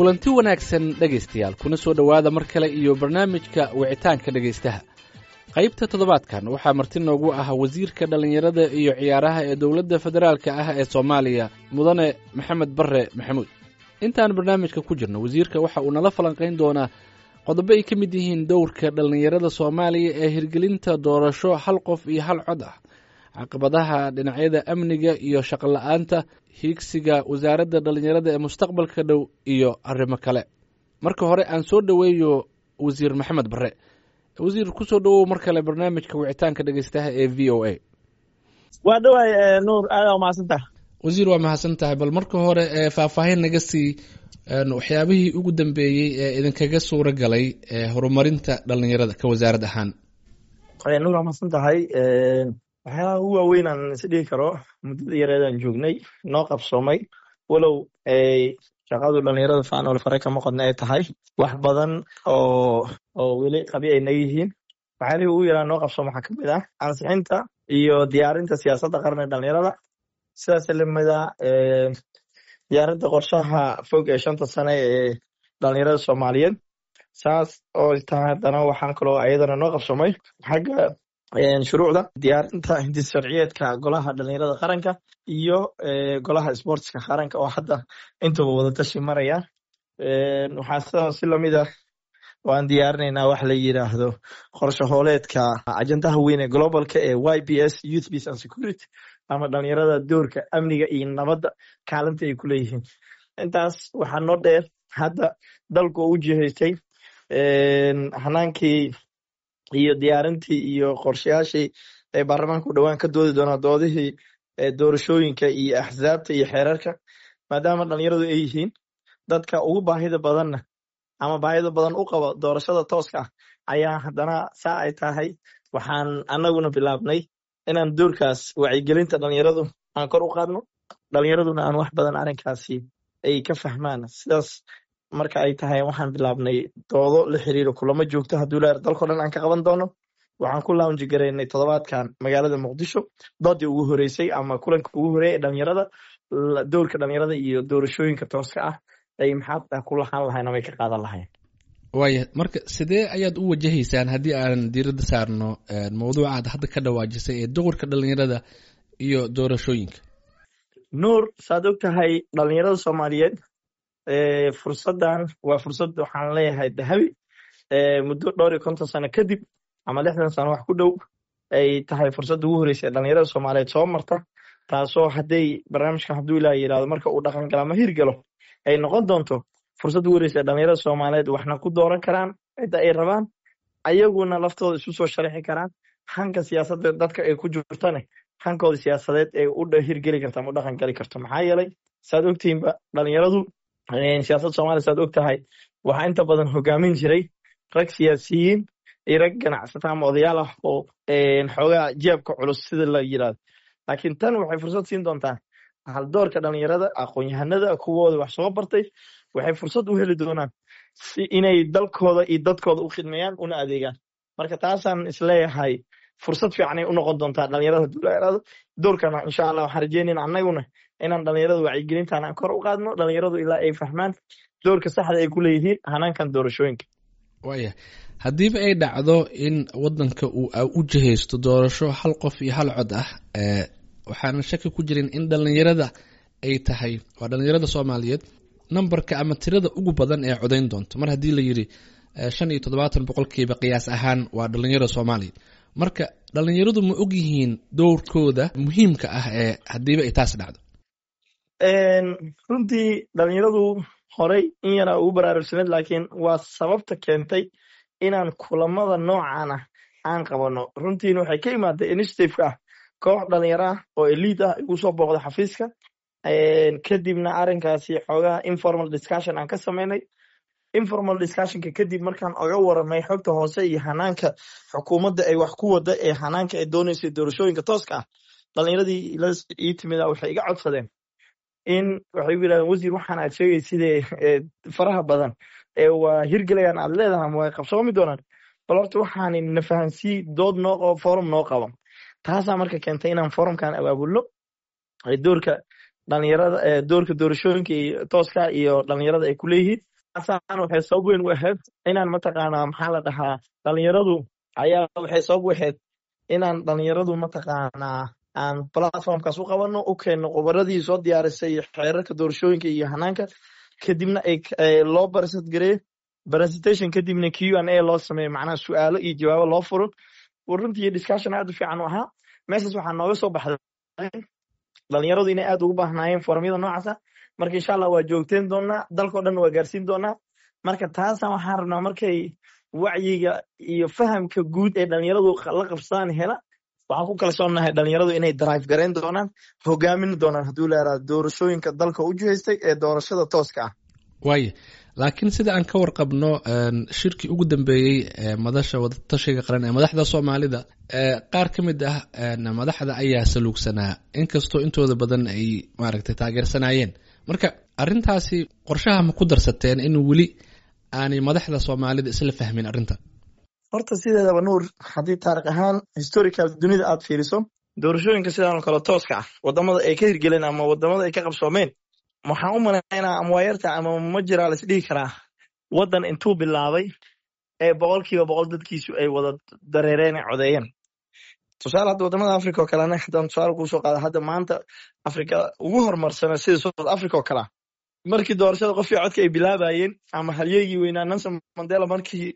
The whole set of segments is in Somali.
Kulanti wanaagsan dhegaystayaal, kuna soo dhowaada mar kale iyo barnaamijka wicitaanka dhegaystaha. Qaybta toddobaadkan waxaa marti noogu ah wasiirka dhallinyarada iyo ciyaaraha ee dowladda federaalka ah ee Soomaaliya, Mudane Maxamed Barre Maxamuud. Intaan barnaamijka ku jirno, wasiirka waxa uu nala falanqayn doonaa qodobo ay ka mid yihiin dowrka dhallinyarada Soomaaliya ee hirgelinta doorasho hal qof iyo hal cod ah, caqabadaha dhinacyada amniga iyo shaqola-aanta, hiigsiga wasaaradda dhallinyarada ee mustaqbalka dhow iyo arrimo kale. Marka hore aan soo dhoweeyo Wasiir Maxamed Barre. Wasiir, kusoo dhowow mar kale barnaamijka wicitaanka dhegeystaha ee VOA. Waa dhawaay Nuur, aada umahadsantaha. Wasiir, waa mahadsan tahay. Bal marka hore faahfaahin naga sii waxyaabihii ugu dambeeyey ee idinkaga suura galay horumarinta dhallinyarada ka wasaarad ahaan. Nuur, waa mahadsan tahay. Waxyaalaha ugu waaweyn aan is dhihi karo muddada yareedaan joognay noo qabsoomay, walow shaqadu dhalinyarada faanole fare kama qodna ay tahay, wax badan oo weli qabi ay naga yihiin, waxyaalihii ugu yaraa noo qabsooma waxaa kamid ah ansixinta iyo diyaarinta siyaasadda qaran ee dhalinyarada. Sidaas lamida diyaarinta qorshaha fog ee 5ta sane ee dhalinyarada Soomaaliyeed. Saas oo tahay haddana waxaan kaloo ayadana noo qabsoomay xagga shuruucda, diyaarinta hindis sharciyeedka golaha dhalinyarada qaranka iyo golaha sportska qaranka oo hadda intaba wadatashi maraya. Waxaa sidaa si lamid ah waan diyaarinaynaa wax la yiraahdo qorshe hooleedka ajandaha weyn ee globalka ee YPS, Youth Peace and Security, ama dhalinyarada doorka amniga iyo nabadda kaalinta ay ku leeyihiin. Intaas waxaa noo dheer hadda dalku u jihaystay hanaankii iyo diyaarintii iyo qorshayaashii ay baarlamaanka u dhowaan ka doodi doonaa, doodihii doorashooyinka iyo axsaabta iyo xeerarka, maadaama dhalinyaradu ay yihiin dadka ugu baahida badanna ama baahida badan u qaba doorashada tooska ah. Ayaa haddana saa ay tahay waxaan annaguna bilaabnay inaan doorkaas wacyigelinta dhalinyaradu aan kor u qaadno, dhalinyaraduna aan wax badan arrinkaasi ay ka fahmaan. Sidaas marka ay tahay waxaan bilaabnay doodo la xiriiro kulamo joogto hadduu leer dalkao dhan aan ka qaban doono. Waxaan ku lounge garaynay toddobaadkan magaalada Muqdisho doodii ugu horeysay ama kulanka ugu horeeyay ee dhalinyarada, doorka dhalinyarada iyo doorashooyinka tooska ah ay maxaa ku lahaan lahayn ama ay ka qaadan lahayn. Waaya, marka sidee ayaad u wajahaysaan haddii aan diiradda saarno mawduuca aad hadda ka dhawaajisay ee doorka dhalinyarada iyo doorashooyinka? Nuur, saad og tahay dhalinyarada Soomaaliyeed fursaddan waa fursad waxaan leeyahay dahabi, muddo dhowr iyo 50 sano kadib ama 60 sano wax ku dhow ay tahay fursadda ugu horreysay ee dhalinyarada Soomaaliyeed soo marta, taasoo hadday barnaamijkan, hadduu Ilaah yidhahdo, marka uu dhaqan gala ama hirgalo, ay noqon doonto fursadda ugu horreysa ee dhalinyarada Soomaaliyeed waxna ku dooran karaan cidda ay rabaan, ayaguna laftooda isu soo sharixi karaan, hanka siyaasadda dadka ay ku jirtane hankooda siyaasadeed ay u hirgeli karto ama u dhaqan gali karto. Maxaa yeelay, saad ogtihiinba, dhalinyaradu siyaasadda Soomaliya, saad og tahay, waxaa inta badan hogaamin jiray rag siyaasiyiin iyo rag ganacsata ama odayaal ah oo xoogaa jeebka culus sida la yidhahdo. Laakiin tan waxay fursad siin doontaa haldoorka dhalinyarada, aqoon-yahanada, kuwooda wax soo bartay. Waxay fursad u heli doonaan si inay dalkooda iyo dadkooda u khidmeeyaan una adeegaan. Marka taasaan isleeyahay fursad fiicanay u noqon doontaa dhalinyarada dulayarada doorkana. Insha Allah waxaan rajeynayna annaguna inaan dhalinyarada wacyigelintaan aan kor u qaadno, dhalinyaradu ilaa ay fahmaan doorka saxda ay ku leeyihiin hanaankan doorashooyinka. Waaya, haddiiba ay dhacdo in waddanka uu u jihaysto doorasho hal qof iyo hal cod ah, waxaana shaki ku jirin in dhalinyarada ay tahay, waa dhalinyarada Soomaaliyeed, numberka ama tirada ugu badan ee codayn doonto, mar haddii la yidhi 75% qiyaas ahaan waa dhalinyarada Soomaaliya. Marka dhalinyaradu ma og yihiin dowrkooda muhiimka ah ee haddiiba ay taas dhacdo? Runtii dhalinyaradu horey in yaraa ugu baraarugsaneed, laakiin waa sababta keentay inaan kulamada noocan ah aan qabano. Runtiina waxay ka imaaday initiative-ka ah koox dhalinyaro ah oo elite ah igu soo booqda xafiiska, kadibna arrinkaasi xoogaha informal discussion aan ka sameynay. Informal discussionka kadib markaan oga waramay xogta hoose iyo hanaanka xukuumadda ay wax ku wada ee hanaanka ay dooneysay doorashooyinka tooska ah, dhalinyaradii ii timida waxay iga codsadeen in waxay u yidhahdeen: "Wasiir, waxaan aad sheegay sidee faraha badan ee waa hirgelayaan aad leedahay ama way qabsoomi doonaan, bal horta waxaan na fahansii, dood noo qabo, forum noo qabo." Taasaa marka keentay inaan forumkan abaabulno doorka dhalinyarada, doorka doorashooyinka iyo tooska iyo dhalinyarada ay ku leeyihiin. Taasaan waxay sabab weyn u ahayd inaan, mataqaanaa, maxaa la dhahaa, dhalinyaradu ayaa waxay sabab u ahayd inaan dhalinyaradu, mataqaanaa, aan platformkaas u qabanno, u keenno khubaradii soo diyaarisay xeerarka doorashooyinka iyo hanaanka, kadibna ay loo present gareeyo presentation, kadibna Q&A loo sameeyo, macnaha su'aalo iyo jawaabo loo furo. Runtii discussion aad u fiican u ahaa. Meeshaas waxaa nooga soo baxday dhalinyaradu inay aad ugu baahnaayeen forumyada noocaas ah. Marka insha Allah waa joogteen doonaa, dalkao dhan waa gaarsiin doonaa. Marka taasa waxaan rabnaa, markay wacyiga iyo fahamka guud ee dhalinyaradu la qabsadaan hela, waxaan ku kalsoonahay dhalinyaradu inay drive gareyn doonaan, hogaamin doonaan, hadduu leeraa, doorashooyinka dalka u jihaystay ee doorashada tooska ah. Waaya, laakiin sida aan ka warqabno, shirkii ugu dambeeyey ee madasha wadatashiga qaran ee madaxda Soomaalida, qaar ka mid ah madaxda ayaa saluugsanaa, inkastoo intooda badan ay maaragtay taageersanaayeen. Marka arrintaasi qorshaha ma ku darsateen in weli aanay madaxda Soomaalida isla fahmin arrinta? Horta sideedaba, Nuur, haddii taarikh ahaan, historical, dunida aad fiiriso, doorashooyinka sidaan oo kale tooska ah wadamada ay ka hirgeleen ama wadamada ay ka qabsoomeen, waxaan u malaynaa ama waa yarta ama ma jiraa la isdhihi karaa waddan intuu bilaabay ee 100% dadkiisu ay wada dareereen, ay codeeyeen. Tusaale, hadda wadamada Africa oo kalena haddaan tusaale kuusoo qaada, hadda maanta Africa ugu horumarsana sida South Africa oo kalea, markii doorashada qofkii codka ay bilaabayeen ama halyeygii weynaa Nelson Mandela markii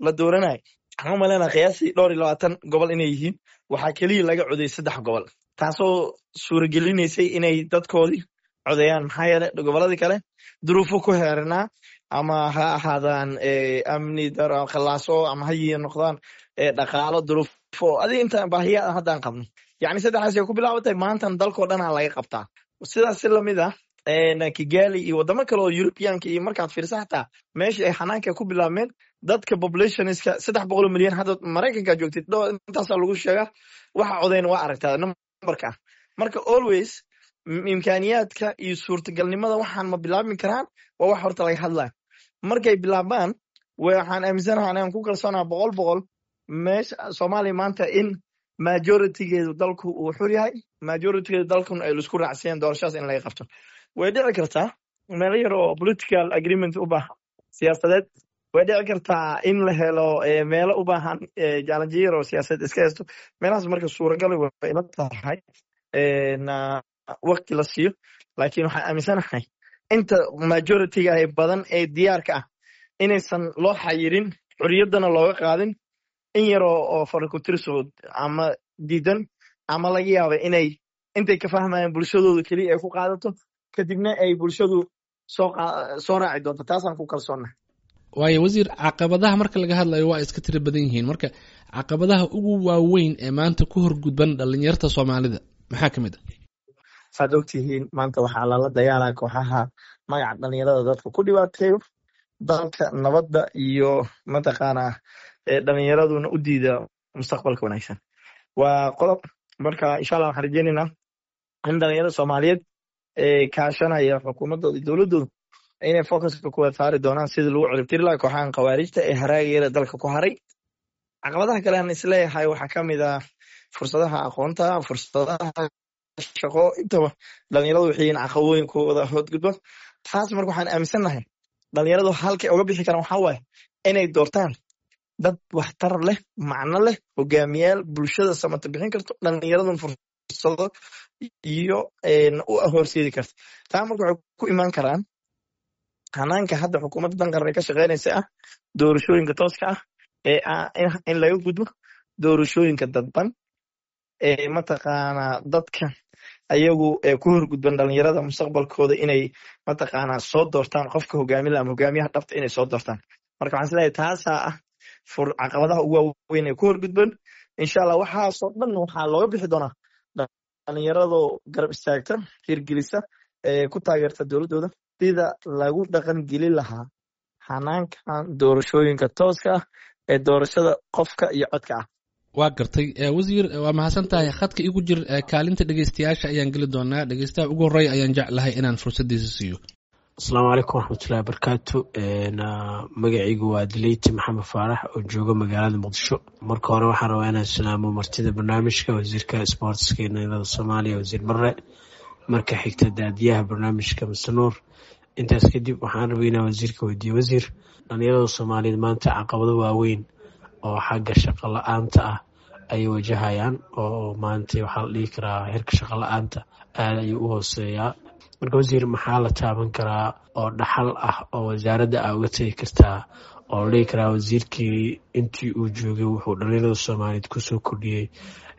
la dooranayay, waxaan u malaynaa qiyaastii dhowr iyo labaatan gobol inay yihiin, waxaa keliya laga codeyay saddex gobol, taasoo suuragelinaysay inay dadkoodii codeeyaan. Maxaa yeelay gobolladii kale duruufo ku heeranaa, ama ha ahaadaan amni daro, khallaaso, ama ha yi noqdaan dhaqaalo, duruufo adiga intaan baahiya haddaan qabno. Yacni saddexdaas ay ku bilaabatay, maantan dalkoo dhanaa laga qabtaa. Sidaas si lamid ah Kigali iyo waddamo kale oo Europeanka iyo markaad fiirsa, xataa meesha ay xanaanka ku bilaabmeen, dadka populationska 300 milyan, hadda Maraykanka joogtid intaasaa lagu sheegaa, waxa codeyn waa aragtaa numberka. Marka always imkaaniyaadka iyo suurtagalnimada waxaan ma bilaabmi karaan waa wax horta laga hadlaya. Markay bilaabmaan, waxaan aaminsanahay, anaan ku kalsoonaha 100% meesha Soomaaliya maanta in majoritygeedu dalku uu xur yahay, majoritygeedu dalkun ay laisku raacsiyeen doorashadaas in laga qabto. Way dhici kartaa meelo yar oo political agreement u baahan siyaasadeed, way dhici kartaa in la helo meelo u baahan challenge yar oo siyaasadeed iska haysto meelahaas. Marka suuragal way ila tahay waqti la siiyo, laakiin waxaan aaminsanahay inta majorityga ee badan ee diyaarka ah inaysan loo xayirin, xorriyaddana looga qaadin in yaroo oo farakutirso ama diidan, ama laga yaaba inay intay ka fahmayaan bulshadooda keliya ay ku qaadato, kadibna ay bulshadu soo raaci doonto. Taasaan ku kalsoonnahay. Waayo wasiir, caqabadaha marka laga hadlayo waa iska tiro badan yihiin. Marka caqabadaha ugu waaweyn ee maanta ku horgudban dhalinyarta Soomaalida maxaa ka mid ah? Saad ogtihiin, maanta waxaa lala dagaalaa kooxaha magaca dhalinyarada dadka ku dhibaateeyo dalka, nabadda iyo, mataqaanaa, dhalinyaraduna u diida mustaqbalka wanaagsan. Waa qodob. Marka insha Allah waxaan rajeynaynaa in dhalinyarada Soomaaliyeed ee kaashanaya xukuumaddooda iyo dowladdooda inay focuska ku wada saari doonaan sidii lagu ciribtiri lahaa kooxahan khawaarijta ee haraageeda dalka ku haray. Caqabadaha kale aan isleeyahay waxaa ka mid ah fursadaha aqoonta, fursadaha shaqo, intaba dhalinyaradu waxay yihiin caqabooyinkooda hoodgudba taas. Marka waxaan aaminsannahay dhalinyaradu halkay uga bixi karaan waxaa waaye inay doortaan dad waxtar leh, macno leh, hogaamiyaal bulshada samata bixin karto, dhalinyaradun fursado iyo u horseedi karta. Taa marka waxay ku imaan karaan hanaanka hadda xukuumadda dan qaran ay ka shaqeynaysa ah doorashooyinka tooska ah ee ah in laga gudbo doorashooyinka dadban ee, mataqaanaa, dadka ayagu ee ku horgudban dhalinyarada mustaqbalkooda inay, mataqaanaa, soo doortaan qofka hogaamin laha ama hogaamiyaha dhabta inay soo doortaan. Marka waxaan isleeyahay taasaa ah fur caqabadaha ugu waaweyn ee ku horgudban. Insha Allah waxaasoo dhan waxaa looga bixi doonaa dhalinyaradoo garab istaagta, hirgelisa, ee ku taageerta dowladdooda sida lagu dhaqan gelin lahaa hanaankan doorashooyinka tooska ah ee doorashada qofka iyo codka ah. Waa gartay. Wasiir, waa mahadsan tahay. Khadka igu jir, kaalinta dhegeystayaasha ayaan geli doonaa. Dhegeystaha ugu horreeya ayaan jeclahay inaan fursaddiisa siiyo. Asalaamu calaykum waraxmatullahi wabarakaatu. Magacaygu waa Dileyti Maxamed Faarax oo jooga magaalada Muqdisho. Marka hore waxaan rabaa inaan salaamo martida barnaamijka, wasiirka sportska ee dhalinyarada Soomaaliya, wasiir Barre. Marka xigta, daadiyaha barnaamijka Mr Nuur. Intaas kadib waxaan rabay inaan wasiirka weydiiyo: wasiir, dhalinyarada Soomaaliyeed maanta caqabado waaweyn oo xagga shaqo la-aanta ah ayay wajahayaan, oo maanta waxaa la dhihi karaa heerka shaqo la-aanta aada ayuu u hooseeyaa. Marka wasiir, maxaa la taaban karaa oo dhaxal ah oo wasaaradda aa uga tegi kartaa, oo la dhihi karaa wasiirkii intii uu joogay wuxuu dhalinyarada Soomaaliyeed kusoo kordhiyey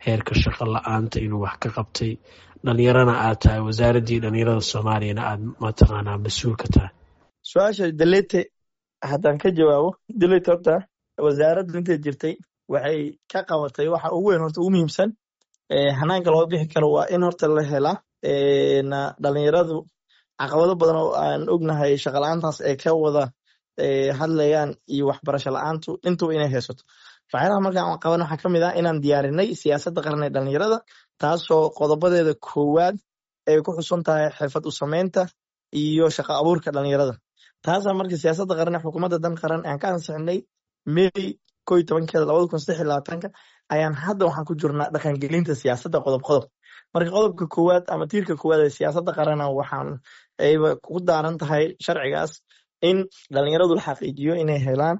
heerka shaqo la-aanta inuu wax ka qabtay, dhalinyarana aad tahay, wasaaraddii dhalinyarada Soomaaliyana aad mataqaanaa mas-uul ka tahay? Su-aasha Dalete haddaan ka jawaabo, Dalete, horta wasaaraddu intay jirtay waxay ka qabatay waxa ugu weyn, horta ugu muhiimsan hanaanka loo bixi karo waa in horta la helaa dhalinyaradu caqabado badan oo aan ognahay shaqala-aantaas ay ka wada hadlayaan iyo waxbarasho la-aantu intuba inay haysato. Waxyaalaha markaan qaban waxaa ka mid ah inaan diyaarinay siyaasadda qaran ee dhalinyarada, taasoo qodobadeeda koowaad ay ku xusun tahay xirfad u samaynta iyo shaqo abuurka dhalinyarada. Taasaa marka siyaasadda qaran ee xukuumadda Dan Qaran aan ka ansixinay May 11-keeda 2023-ka ayaan hadda waxaan ku jirnaa dhaqangelinta siyaasadda qodob qodob. Marka qodobka koowaad ama tiirka koowaad ee siyaasadda qarana waxaan ayba ku daaran tahay sharcigaas in dhalinyaradu la xaqiijiyo inay helaan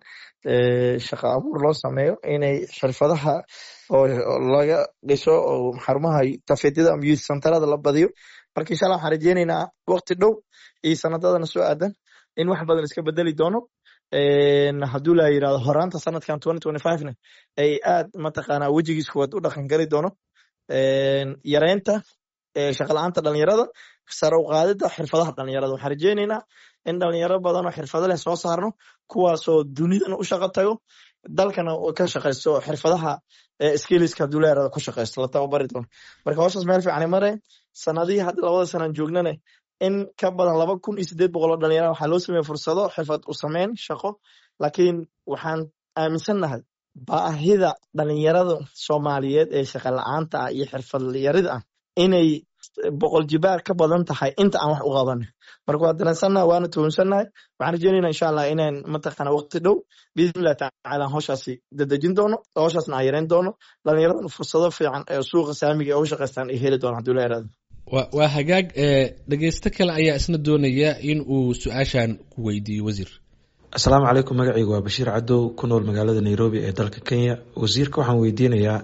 shaqo abuur loo sameeyo, inay xirfadaha oo laga dhiso oo xarumaha tafeedyada ama youth centerada la badiyo. Marka insha Allah waxaan rajeyneynaa waqti dhow iyo sanadadana soo aadan in wax badan iska bedeli doono. Hadduu la yirahdo horaanta sanadkan 2025na ay aad mataqaanaa wejigiis kuwaad u dhaqan gali doono yareynta shaqa la-aanta dhalinyarada, sare u qaadida xirfadaha dhalinyarada. Waxaan rajeyneynaa in dhalinyaro badan oo xirfado leh soo saarno, kuwaasoo dunidana u shaqo tago, dalkana ka shaqaysto, xirfadaha skillska hadduu la yirahdo ku shaqaysto la tababari doono. Marka howshaas meel fiican mare. Sanadihii hadda 2da sanaan joognane in ka badan 2800 oo dhalinyara waxaa loo sameeyey fursado xirfad u sameyn shaqo, laakiin waxaan aaminsannahay baahida dhalinyarada Soomaaliyeed ee shaqa la-aanta ah iyo xirfad yarida ah inay 100 jibaar ka badan tahay inta aan wax u qaban. Marka waa dareensannahay waana tuhunsannahay. Waxaan rajeynayna insha Allah inaan mataqaana waqti dhow biidnillahi tacaala howshaasi dadejin doono, howshaasna aan yareyn doono, dhalinyaradana fursado fiican ee suuqa saamiga ee uga shaqaystaan ay heli doonaan hadduu la yaraado. Waa hagaag. Dhegeysto kale ayaa isna doonaya in uu su-aashan ku weydiiyo wasiir. Asalaamu calaykum, magacaygu waa Bashiir Cadow, ku nool magaalada Nairobi ee dalka Kenya. Wasiirka waxaan weydiinayaa: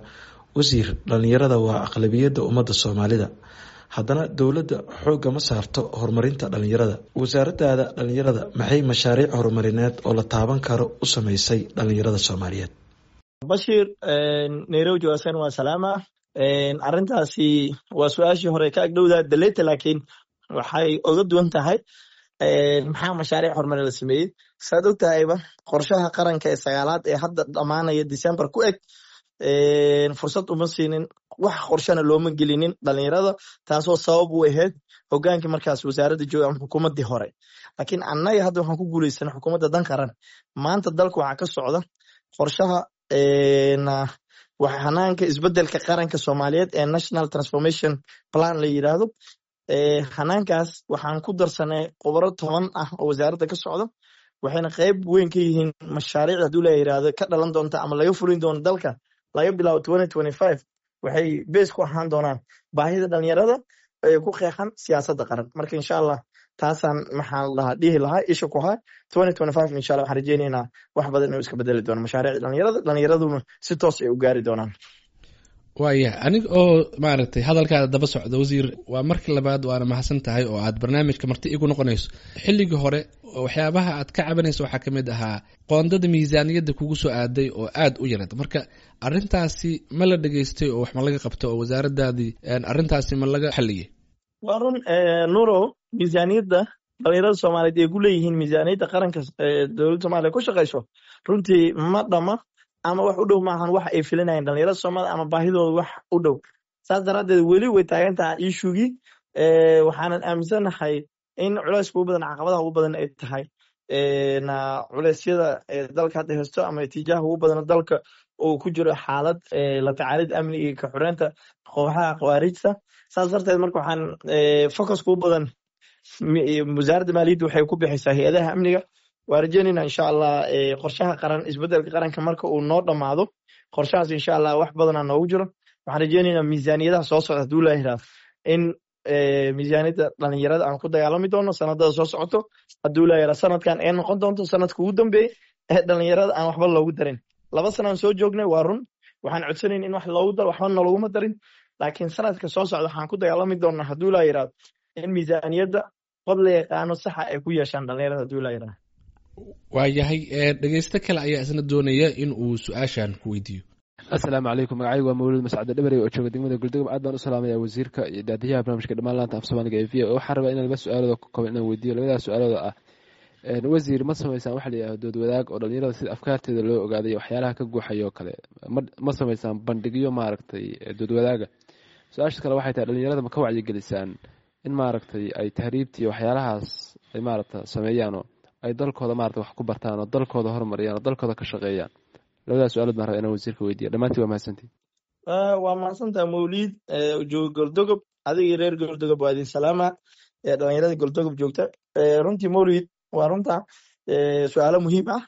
wasiir, dhalinyarada waa aqlabiyadda ummadda Soomaalida, haddana dowladda xoogga ma saarto horumarinta dhalinyarada. Wasaaradaada dhalinyarada maxay mashaariic horumarineed oo la taaban karo u sameysay dhalinyarada Soomaaliyeed? Bashiir Nairobi jawaasan waa salaama. Arrintaasi waa su-aashii hore ka agdhowda Daleta, laakiin waxay oga duwan tahay maxaa mashaariic horumar la sameeyey. Saad og tahayba qorshaha qaranka ee sagaalaad ee hadda dhammaanaya December ku eg fursad uma siinin, wax qorshana looma gelinin dhalinyarada, taasoo sabab u ahayd hogaankii markaas wasaaradda jooga ama xukuumaddii hore. Laakiin annaga hadda waxaan ku guuleysanay xukuumadda Dan Qaran, maanta dalka waxaa ka socda qorshaha hanaanka isbedelka qaranka Soomaaliyeed ee National Transformation Plan la yiraahdo. Hanaankaas waxaan ku darsanay khubaro 10 ah oo wasaaradda ka socda, waxayna qayb weyn ka yihiin mashaariicda hadduu la yiraahdo ka dhalan doonta ama laga fulin doono dalka laga bilaabo 2025. Waxay base ku ahaan doonaan baahida dhalinyarada ee ku qeexan siyaasadda qaran. Marka insha Allah taasaan maxaan lahaa dhihi lahaa isha ku hay 2025 insha Allah waxaan rajeyneynaa wax badan inuu iska bedeli doono mashaariicda dhalinyarada, dhalinyaraduna si toos ay u gaari doonaan. Waaya, aniga oo maaragtay hadalkaada daba socda, wasiir, waa markii labaad waana mahadsan tahay oo aad barnaamijka marti igu noqonayso. Xilligii hore waxyaabaha aad ka cabanayso waxaa ka mid ahaa qoondada miisaaniyadda kugu soo aaday oo aada u yarad. Marka arrintaasi ma la dhegaystay oo wax ma laga qabto oo wasaaradaadii arrintaasi ma laga xaliyey? Waa run Nurow, miisaaniyadda dhalinyarada Soomaaliyeed ay ku leeyihiin miisaaniyadda qaranka dowladda Soomaaliya ku shaqayso runtii ma dhama ama wax u dhow maahan wax ay filinayeen dhalinyarada Soomaalida ama baahidooda wax u dhow. Saas daraaddeed weli way taagan tahay issuegii. Waxaanan aaminsanahay in culayska ugu badan, caqabadaha ugu badan ay tahay culeysyada dalka hadda haysto ama itiijaaha ugu badan dalka uu ku jiro xaalad la tacaalid amni iyo ka xoreynta kooxaha khawaarijta. Saas darteed marka waxaan focuska ugu badan wasaaradda maaliyadda waxay ku bixisaa hay-adaha amniga. Waa rajeynayna insha Allah qorshaha qaran isbedelka qaranka marka uu noo dhammaado qorshahaas insha Allah wax badanaa noogu jiro. Waxaan rajeynaynaa miisaaniyadaha soo socda hadduu la yiraahdo in miisaaniyadda dhalinyarada aan ku dagaalami doono sanadada soo socoto. Hadduu laa yaraa sanadkan ee noqon doonto sanadka ugu dambeeyey ee dhalinyarada aan waxba loogu darin. 2 sanaan soo joognay, waa run, waxaan codsanayn in wax loogu daro, waxba nalooguma darin. Laakiin sanadka soo socda waxaan ku dagaalami doonaa, hadduu laa yiraahdo, in miisaaniyadda qod la yaqaano saxa ay ku yeeshaan dhalinyarada, hadduu laa yiraahdo. Waayahay, dhegeysto kale ayaa isna doonaya in uu su-aashan ku weydiiyo. Asalaamu calaykum, magacaygu waa Mawlud Mascade Dhabarey oo jooga degmada Goldogob. Aad baan u salaamaya wasiirka iyo daadiyaha barnaamijka dhammaan laanta af Soomaaliga ee VOA. Waxaan rabaa inaan laba su-aalooda ka kooban inaan weydiiyo. Labadaas su-aalooda ah, wasiir, ma samaysaan waxa la yidhahdo dood wadaag oo dhalinyarada sida afkaarteeda loo ogaaday waxyaalaha ka guuxayo kale? Ma samaysaan bandhigyo maaragtay dood wadaaga? Su-aasha kale waxay tahay, dhalinyarada ma ka wacyigelisaan in maaragtay ay tahriibta iyo waxyaalahaas ay maaragta sameeyaanoo ay dalkooda maarata wax ku bartaan oo dalkooda horumariyaan oo dalkooda ka shaqeeyaan? Labadaas su-aalood baan rabaa inaan wasiirka weydiiya. Dhammaantiin waa mahadsantihin. Waa mahadsantaha Mawliid jooga Goldogob. Adigii reer Goldogob waa idin salaama, dhalinyarada Goldogob joogta. Runtii Mawliid, waa runta, su-aalo muhiim ah.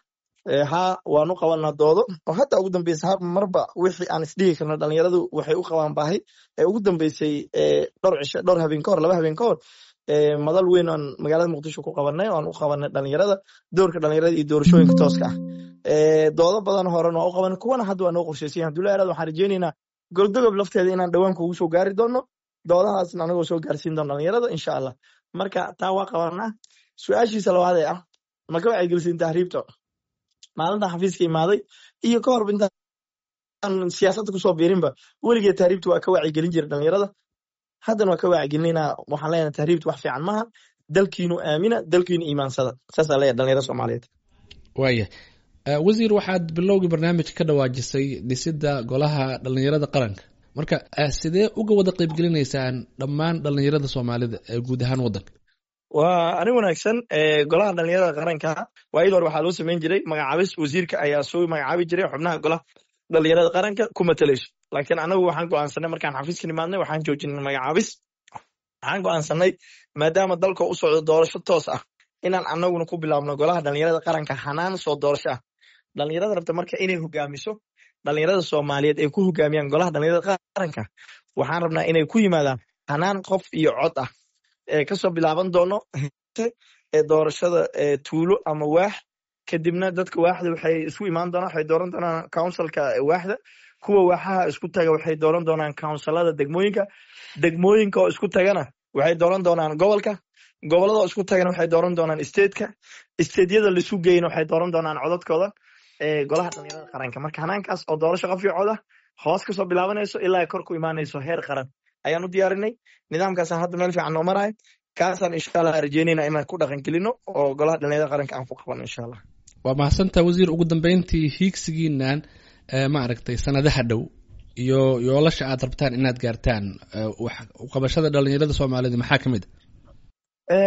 Haa, waanu qabanaa doodo oo hadda ugu dambeysay har marba wixii aan isdhihi karno dhalinyaradu waxay u qabaan baahi ee ugu dambeysay dhowr cisho, dhowr habeen ka hor, 2 habeen ka hor, madal weyn oon magaalada Muqdisho ku qabanay oo aan u qabanay dhalinyarada doorka dhalinyarada iyo doorashooyinka tooska ah. Doodo badan horena waa u qabanay, kuwana hadda waa noo qorshaysan yahay. Hadduu la yaraado, waxaan rajeynaynaa Goldogob lafteeda inaan dhowaan kugu soo gaari doono, doodahaasna anagoo soo gaarsiin doono dhalinyarada, insha Allah. Marka taa waa qabanaa. Su-aashiisa labaad ee ah, ma ka wacyigelisiin tahriibta? Maalintan xafiiska imaaday iyo ka horba intaan siyaasadda kusoo biirinba, weligeed tahriibta waa ka wacyigelin jiray dhalinyarada, haddana waa ka wacyigelinayna. Waxaan leenahay tahriibta wax fiican maaha, dalkiinu aamina, dalkiinu iimaansada. Saasaa leeyahay dhalinyarada Soomaaliyeed. Waayahay wasiir, waxaad bilowgii barnaamijka ka dhawaajisay dhisidda golaha dhalinyarada qaranka. Marka sidee uga wada qaybgelinaysaan dhammaan dhalinyarada Soomaalida ee guud ahaan waddanka? Waa arrin wanaagsan. Golaha dhalinyarada qaranka waayadii hore waxaa loo samayn jiray magacaabis, wasiirka ayaa soo magacaabi jiray xubnaha golaha dhalinyarada qaranka ku matalayso. Laakiin anagu waxaan go'aansanay markaan xafiiska nimaadnay, waxaan joojinay magacaabis. Waxaan go'aansanay maadaama dalka u socdo doorasho toos ah inaan anaguna ku bilaabno golaha dhalinyarada qaranka hanaan soo doorasho ah. Dhalinyarada rabta marka inay hogaamiso dhalinyarada Soomaaliyeed ay ku hogaamiyaan golaha dhalinyarada qaranka, waxaan rabnaa inay ku yimaadaan hanaan qof iyo cod ah ee kasoo bilaaban doono ee doorashada tuulo ama waax. Kadibna dadka waaxda waxay isku imaan doonaan, waxay dooran doonaan councilka waaxda. Kuwa waaxaha isku taga waxay dooran doonaan counsilada degmooyinka. Degmooyinka oo isku tagana waxay dooran doonaan gobolka. Gobolada oo isku tagana waxay dooran doonaan stateka. Stateyada laisu geyna waxay dooran doonaan codadkooda golaha dhalinyarada qaranka. Marka hanaankaas oo doorasho qof iyo cod ah hoos kasoo bilaabanayso ilaa ay kor ku imaanayso heer qaran ayaan u diyaarinay. Nidaamkaasaan hadda meel fiican noo marayo, kaasaan insha Allah rajeynayna inaan ku dhaqan gelino oo golaha dhalinyarada qaranka aan ku qabano, insha Allah. Waa mahadsantaa wasiir. Ugu dambeyntii, hiigsigiinan ma aragtay sanadaha dhow iyo yoolasha aad rabtaan inaad gaartaan wax uqabashada dhalinyarada Soomaalida maxaa ka mid a?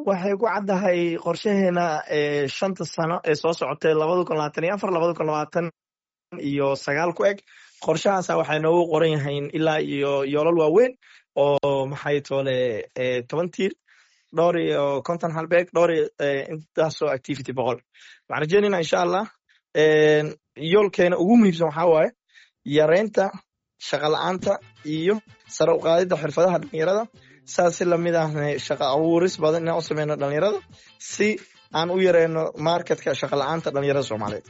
Waxay ku caddahay qorshaheena 5ta sano ee soo socotay, 2024, 2029 ku eg. Qorshahaasa waxay noogu qoran yahayn ilaa iyo yoolal waaweyn oo maxay toole 10 tiir, dhowr iyo 50 halbeeg, dhowr iyo intaasoo activity 100. Waxaan rajeynayna insha Allah yoolkeena ugu muhiimsan waxaa waaye yareynta shaqa la-aanta iyo sare u qaadidda xirfadaha dhalinyarada. Saas si lamid ahna shaqa abuuris badan inaan u sameyno dhalinyarada si aan u yareyno marketka shaqa la-aanta dhalinyarada Soomaaliyeed.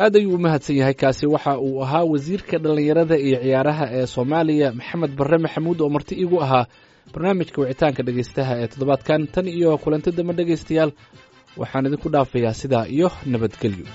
Aad ayuu u mahadsan yahay. Kaasi waxa uu ahaa wasiirka dhallinyarada iyo ciyaaraha ee Soomaaliya, Maxamed Barre Maxamuud, oo marti iigu ahaa barnaamijka wicitaanka dhegeystaha ee toddobaadkan. Tan iyo kulanti dambe dhegeystayaal, waxaan idinku dhaafayaa sidaa iyo nabadgelyo.